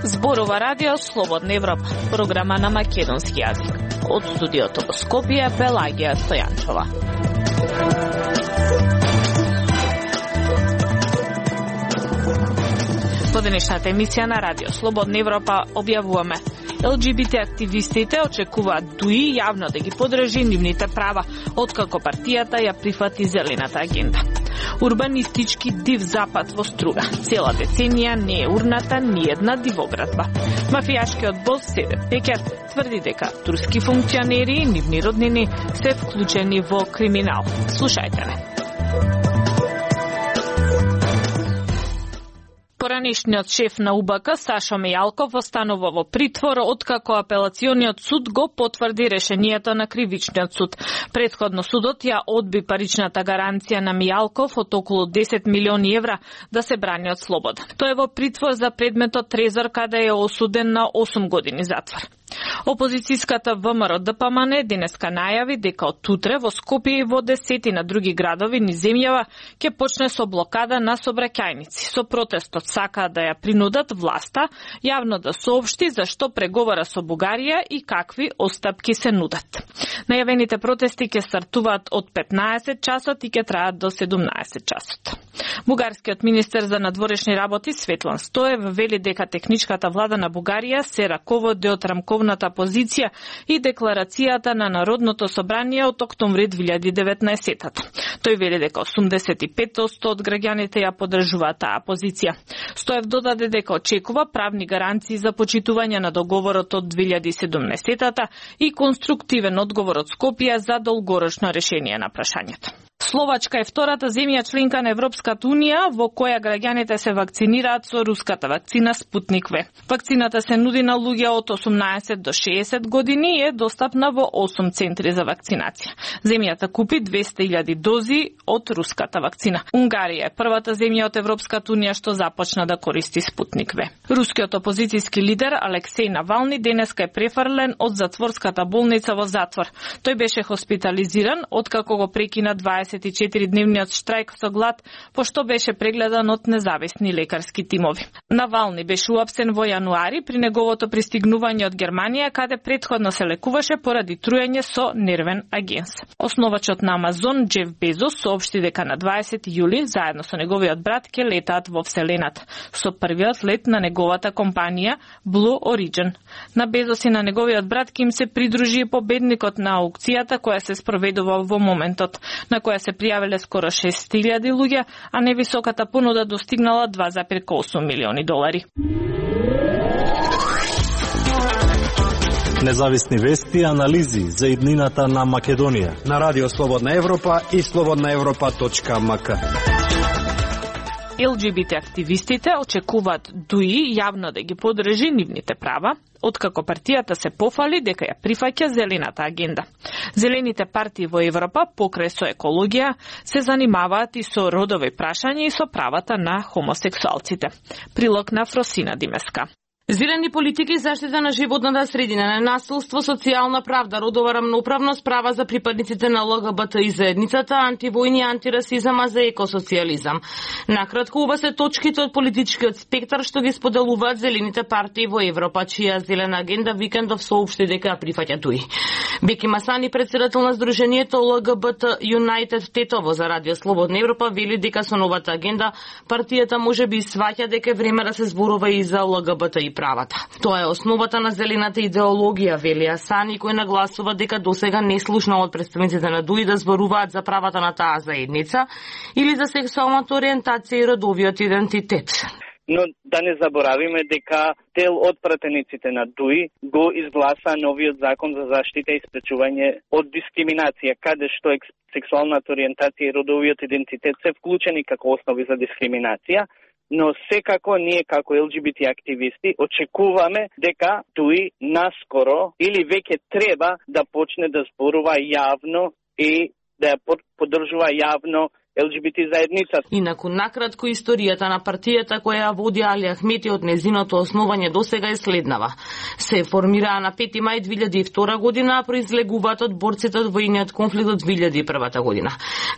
Зборува радио Слободна Европа, програма на македонски јазик. Од студиото во Скопје, Пелагија Стојанчова. Во денешната емисија на радио Слободна Европа објавуваме: ЛГБТ активистите очекуваат ДУИ јавно да ги подржи нивните права, откако партијата ја прифати зелената агенда. Урбанистички див запад во Струга. Цела деценија не е урната ни една дивоградба. Мафијашкиот бос Седеф Пекер тврди дека турски функционери и нивни роднини се вклучени во криминал. Слушајте ме. Поранешниот шеф на УБК Сашо Мејалков останува во притвор откако апелациониот суд го потврди решението на кривичниот суд. Претходно судот ја одби паричната гаранција на Мејалков од околу 10 милиони евра да се брани од слобода. Тој е во притвор за предметот трезор, каде е осуден на 8 години затвор. Опозицијската ВМРО ДПМН денеска најави дека од утре во Скопје и во 10 на други градови низ земјава ќе почне со блокада на сообраќајници. Со протестот сакаат да ја принудат власта јавно да соопшти за што преговара со Бугарија и какви остапки се нудат. Најавените протести ќе стартуваат од 15 часот и ќе траат до 17 часот. Бугарскиот министер за надворешни работи Светлан Стоев вели дека техничката влада на Бугарија се раководи од рамковната позиција и декларацијата на Народното собрание од октомври 2019. Тој вели дека 85% од граѓаните ја поддржуваат таа позиција. Стоев додаде дека очекува правни гаранции за почитување на договорот од 2017 и конструктивен одговор од Скопје за долгорочно решение на прашањето. Словачка е втората земја членка на Европската унија во која граѓаните се вакцинираат со руската вакцина Спутник В. Вакцината се нуди на луѓе од 18 до 60 години и е достапна во 8 центри за вакцинација. Земјата купи 200.000 дози од руската вакцина. Унгарија е првата земја од Европската унија што започна да користи Спутник В. Рускиот опозицијски лидер Алексеј Навални денеска е префрлен од затворската болница во затвор. Тој беше хоспитализиран откако го прекина 24-дневниот штрајк со глад, пошто беше прегледан од независни лекарски тимови. Навални беше уапсен во јануари при неговото пристигнување од Германија, каде претходно се лекуваше поради труење со нервен агенс. Основачот на Амазон, Джеф Безос, соопшти дека на 20 јули, заедно со неговиот брат, ќе летаат во Вселената, со првиот лет на неговата компанија Blue Origin. На Безос и на неговиот брат ќе им се придружи и победникот на аукцијата која се спроведува во моментот, на која се пријавиле скоро 6.000 луѓе, а невисоката понуда достигнала 2,8 милиони долари. Независни вести и анализи за иднината на Македонија на Радио Слободна Европа и slobodnaevropa.mk. ЛГБТ активистите очекуваат ДУИ јавно да ги подржи нивните права, откако партијата се пофали дека ја прифаќа зелената агенда. Зелените партии во Европа, покрај со екологија, се занимаваат и со родови прашања и со правата на хомосексуалците. Прилог на Фросина Димеска. Зелени политики, заштита на животната средина, ненасилство, социјална правда, родова рамноправност, права за припадниците на ЛГБТ и заедницата, антивојни, антирасизам, а за екосоцијализам. Накратко, ова се точките од политичкиот спектар што ги споделуваат зелените партии во Европа, чија зелена агенда викендов соопшти дека прифаќа ДУИ. Беки Масани, председател на Сдруженијето ЛГБТ United Тетово за Радио Слободна Европа, вели дека со новата агенда партијата може би сваќа дека е време да се зборува и за ЛГБТ и правата. Тоа е основата на зелената идеологија, вели Асани, кој нагласува дека досега не слушнал од представниците на ДУИ да зборуваат за правата на таа заедница или за сексуалната ориентација и родовиот идентитет. Но да не заборавиме дека дел од пратениците на ДУИ го изгласа новиот закон за заштита и спречување од дискриминација, каде што сексуалната ориентација и родовиот идентитет се вклучени како основи за дискриминација. Но секако ние како ЛГБТ активисти очекуваме дека ДУИ наскоро или веќе треба да почне да зборува јавно и да ја поддржува јавно ЛГБТ заедница. Инаку накратко историјата на партијата која ја води Али Ахмети од незиното основање досега е следнава. Се формираа на 5 мај 2002 година, а произлегуваат од борците од војниот конфликт од 2001 година.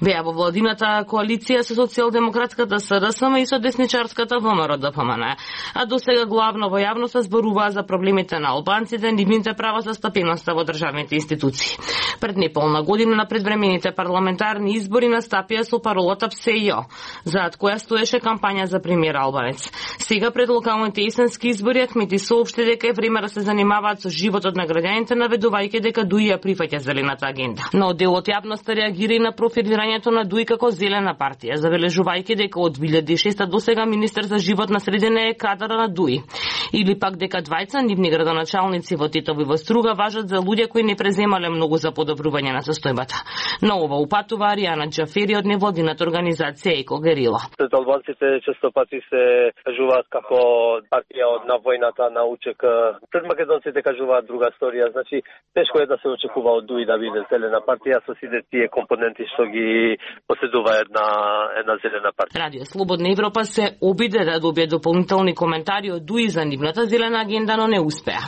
Беа во владината коалиција со социјалдемократската СДСМ и со десничарската ВМРО-ДПМН, а досега главно во јавноста зборуваа за проблемите на албанците, нивните права за стапеноста во државните институции. Пред неполна година на предвремените парламентарни избори настапија со паролата ПСЕЙО, заад која стоеше кампања за премиер албанец. Сега пред локалните есенски избори Ахмети соопшти дека е време да се занимаваат со животот на граѓаните, наведувајќи дека ДУИ ја прифаќа зелената агенда. Но делот јавноста реагира и на профилирањето на ДУИ како зелена партија, забележувајќи дека од 2006 до сега министер за животна средина е кадар на ДУИ. Или пак дека двајца нивни градоначалници во Тетово и во Струга важат за луѓе кои не преземале многу за подобрување на состојбата. На ова упатува Аријана Џафери од невладината организација Еко Герила. Албанците често пати се кажуваат како партија од на војната на УЧК. Пред македонците кажуваат друга сторија. Значи тешко е да се очекува од ДУИ да биде зелена партија со сите тие компоненти што ги поседува една зелена партија. Радио Слободна Европа се обиде да добие дополнителни коментари од ДУИ за нивната зелена агенда, но не успеа.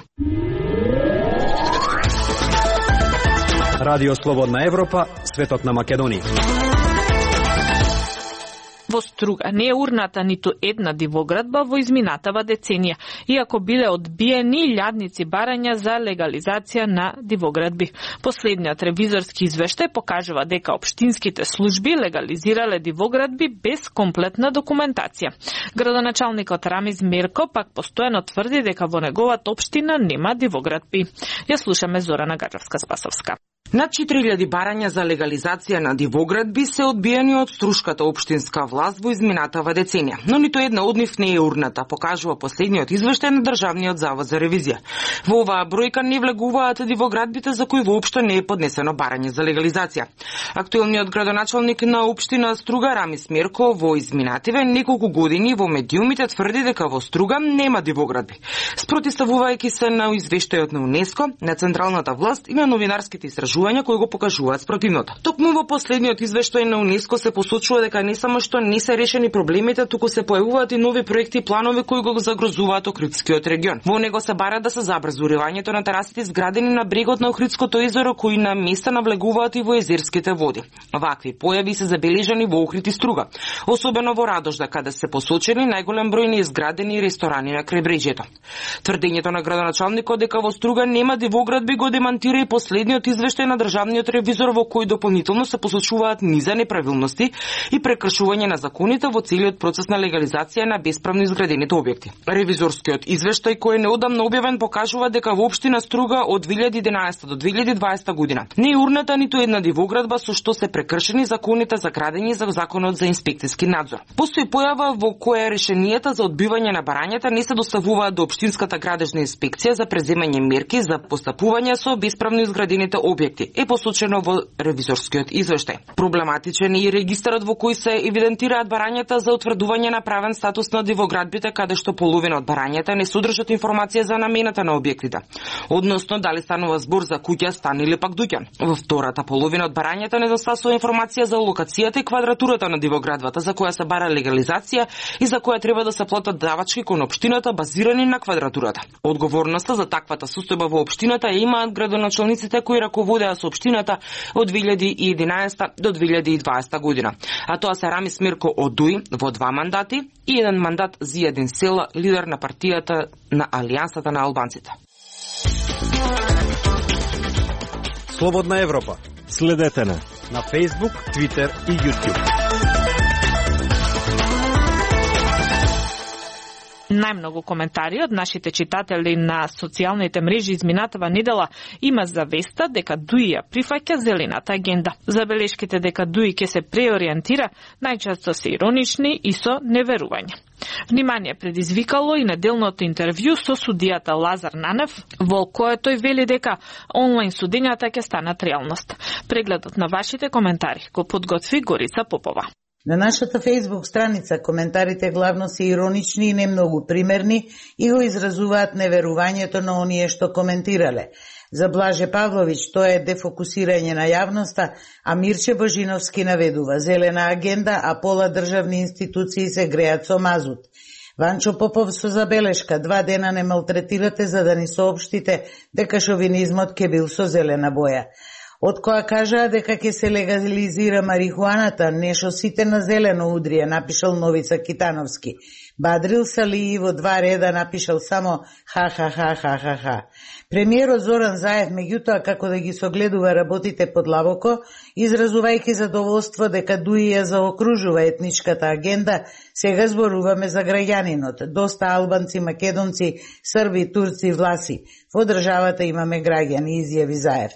Радио Слободна Европа, светот на Македонија. Во Струга не е урната ниту една дивоградба во изминатава деценија, иако биле одбиени илјадници барања за легализација на дивоградби. Последниот ревизорски извештај покажува дека општинските служби легализирале дивоградби без комплетна документација. Градоначалникот Рамис Мерко пак постојано тврди дека во неговата општина нема дивоградби. Ја слушаме Зорана Гаджевска-Спасовска. Над 4000 барања за легализација на дивоградби се одбиени од струшката општинска власт во изминатава деценија, но ниту една од нив не е урната, покажува последниот извештај на Државниот завод за ревизија. Во оваа бројка не влегуваат дивоградбите за кои воопшто не е поднесено барање за легализација. Актуелниот градоначалник на општина Струга Рамис Мерко во изминативе неколку години во медиумите тврди дека во Струга нема дивоградби. Спротивставувајќи се на извештајот на УНЕСКО, на централната власт и на новинарските истражувања кои го покажуваат спротивното. Токму во последниот извештај на УНЕСКО се посочува дека не само што не се решени проблемите, туку се појавуваат и нови проекти и планови кои го загрозуваат Охридскиот регион. Во него се бара да се забрзи уривањето на терасите изградени на брегот на Охридското езеро, кои на места навлегуваат и во езерските води. Вакви појави се забележани во Охрид и Струга, особено во Радожда, каде се посочени најголем број неизградени ресторани на крајбрежјето. Тврдењето на градоначалникот дека во Струга нема дивоградби го демантира и последниот извештај на државниот ревизор, во кој дополнително се посочуваат низа неправилности и прекршување на законите во целиот процес на легализација на бесправно изградените објекти. Ревизорскиот извештај, кој е неодамно објавен, покажува дека во општина Струга од 2011 до 2020 година не е урната ниту една дивоградба со што се прекршени законите за градење за законот за инспекцијски надзор. Постои појава во која решенијата за одбивање на барањата не се доставуваат до општинската градежна инспекција за преземање мерки за постапување со бесправно изградените објекти, е посочено во ревизорскиот извештај. Проблематичен е и регистарот во кој се евидентираат барањата за утврдување на правен статус на дивоградбите, каде што половина од барањата не содржат информација за намената на објектите, односно дали станува збор за куќа, стан или пак дуќан. Во втората половина од барањата недостасува информација за локацијата и квадратурата на дивоградбата за која се бара легализација и за која треба да се платат давачки кон општината базирани на квадратурата. Одговорноста за таквата состојба во општината ја имаат градоначалниците кои раководеа со општината од 2011 до 2020 година. А тоа се Рамис Мерко од ДУИ во 2 мандати и 1 мандат Зијадин Села, лидер на партијата на Алијансата на албанците. Слободна Европа. Следете на Facebook, Twitter и YouTube. Најмногу коментари од нашите читатели на социјалните мрежи изминатава недела има завеста дека ДУИ ја прифаќа зелената агенда. Забелешките дека ДУИ ќе се преориентира најчесто се иронични и со неверување. Внимание предизвикало и неделното интервју со судијата Лазар Нанев, во кое тој вели дека онлайн судењата ќе станат реалност. Прегледот на вашите коментари го подготви Горица Попова. На нашата Facebook страница коментарите главно се иронични и не многу примерни и го изразуваат неверувањето на оние што коментирале. За Блаже Павловиќ тоа е дефокусирање на јавноста, а Мирче Божиновски наведува зелена агенда, а пола државни институции се греат со мазут. Ванчо Попов со забелешка: 2 дена не малтретирате за да ни соопштите дека шовинизмот ќе бил со зелена боја. Од која кажаа дека ќе се легализира марихуаната, нешто сите на зелено удрија, напишал Новица Китановски. Бадрил Салии во 2 реда напишал само ха. Премиерот Зоран Заев, меѓутоа, како да ги согледува работите подлабоко, изразувајќи задоволство дека ДУИ ја заокружува етничката агенда, сега зборуваме за граѓанинот. Доста албанци, македонци, срби, турци, власи. Во државата имаме граѓани, изјави Заев.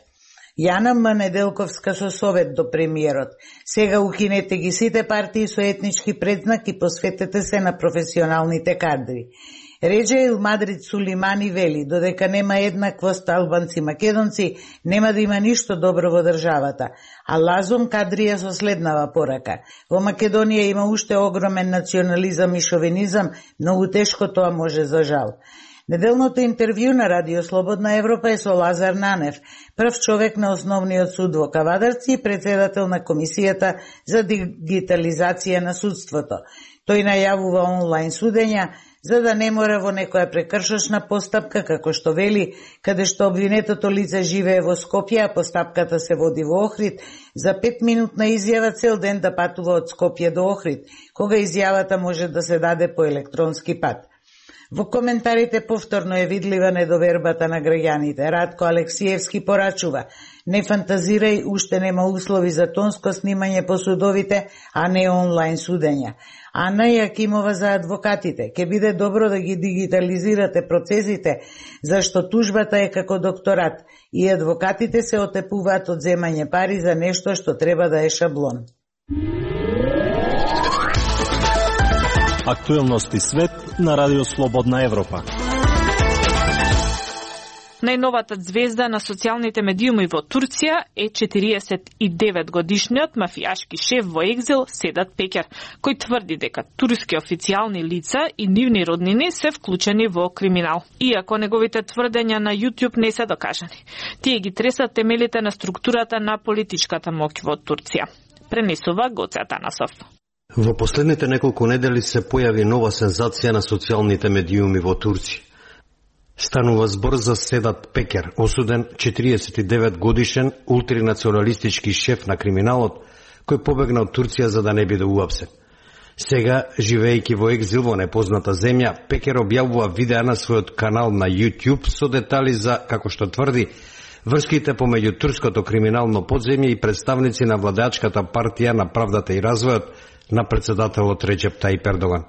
Јана М. Неделковска со совет до премиерот. Сега укинете ги сите партии со етнички предзнак и посветете се на професионалните кадри. Реджа Мадрид Сулимани вели: додека нема еднаквост албанци-македонци, нема да има ништо добро во државата. А Лазом Кадрија со следнава порака: во Македонија има уште огромен национализам и шовинизам, многу тешко тоа може за жал. Неделното интервју на Радио Слободна Европа е со Лазар Нанев, прв човек на основниот суд во Кавадарци и председател на Комисијата за дигитализација на судството. Тој најавува онлайн судења, за да не мора во некоја прекршочна постапка, како што вели, каде што обвинетото лице живее во Скопје, а постапката се води во Охрид, за 5-минутна изјава цел ден да патува од Скопје до Охрид, кога изјавата може да се даде по електронски пат. Во коментарите повторно е видлива недовербата на граѓаните. Радко Алексиевски порачува: не фантазирај, уште нема услови за тонско снимање по судовите, а не онлайн судења. Ана Јакимова за адвокатите: ке биде добро да ги дигитализирате процесите, зашто тужбата е како докторат и адвокатите се отепуваат од земање пари за нешто што треба да е шаблон. Актуелности свет на Радио Слободна Европа. Најновата звезда на социјалните медиуми во Турција е 49-годишниот мафијашки шеф во екзил Седат Пекер, кој тврди дека турски официјални лица и нивни роднини се вклучени во криминал. Иако неговите тврдења на YouTube не се докажани, тие ги тресат темелите на структурата на политичката моќ во Турција. Пренесува Гоце Атанасов. Во последните неколку недели се појави нова сензација на социјалните медиуми во Турција. Станува збор за Седат Пекер, осуден 49 годишен ултранационалистички шеф на криминалот, кој побегна од Турција за да не биде уапсен. Сега, живејќи во екзил во непозната земја, Пекер објавува видеа на својот канал на YouTube со детали за, како што тврди, врските помеѓу турското криминално подземје и представници на владеачката партија на правдата и развојот на председателот Реджеп Тајип Ердоган.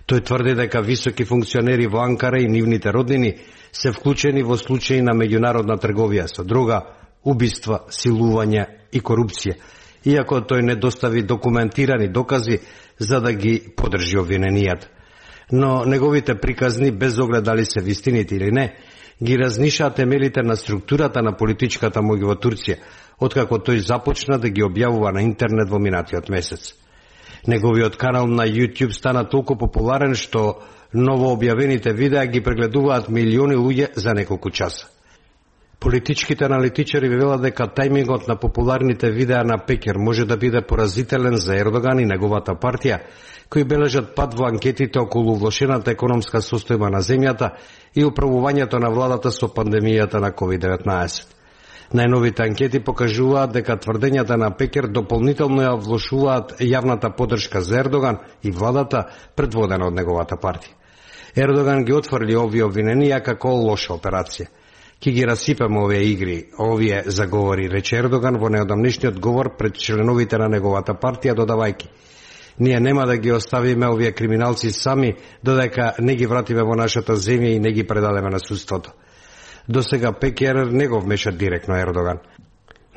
Тој тврди дека високи функционери во Анкара и нивните роднини се вклучени во случаи на меѓународна трговија со дрога, убиства, силување и корупција, иако тој не достави документирани докази за да ги подржи обвиненијата. Но неговите приказни, без оглед дали се вистините или не, ги разнишаа темелите на структурата на политичката моќ во Турција, откако тој започна да ги објавува на интернет во минатиот месец. Неговиот канал на YouTube стана толку популарен што ново објавените видеа ги прегледуваат милиони луѓе за неколку часа. Политичките аналитичари велат дека тајмингот на популарните видеа на Пекер може да биде поразителен за Ердоган и неговата партија, кои бележат пад во анкетите околу влошената економска состојба на земјата и управувањето на владата со пандемијата на COVID-19. Најновите анкети покажуваат дека тврдењата на Пекер дополнително ја влошуваат јавната поддршка за Ердоган и владата предводена од неговата партија. Ердоган ги отфрли овие обвиненија како лоша операција. Ки ги расипаме овие игри, овие заговори, рече Ердоган во неодамнишниот говор пред членовите на неговата партија, додавајќи: ние нема да ги оставиме овие криминалци сами додека не ги вратиме во нашата земја и не ги предадеме на судството. До сега Пекер не го вмеша директно Ердоган,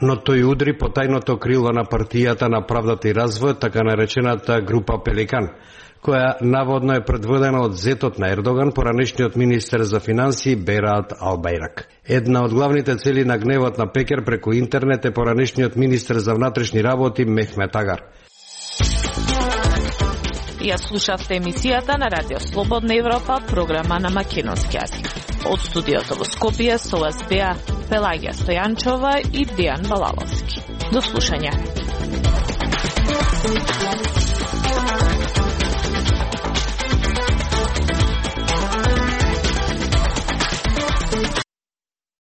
но тој удри по тајното крило на партијата на правдата и развојот, така наречената група Пеликан, која наводно е предводена од зетот на Ердоган, поранешниот министер за финансии Берат Албајрак. Една од главните цели на гневот на Пекер преку интернет е поранешниот министер за внатрешни работи Мехмет Агар. Ја слушавте емисијата на Радио Слободна Европа, програма на македонски јазик. Од студиото во Скопје со вас беа Пелагија Стојанчова и Дијан Балаловски. До слушање.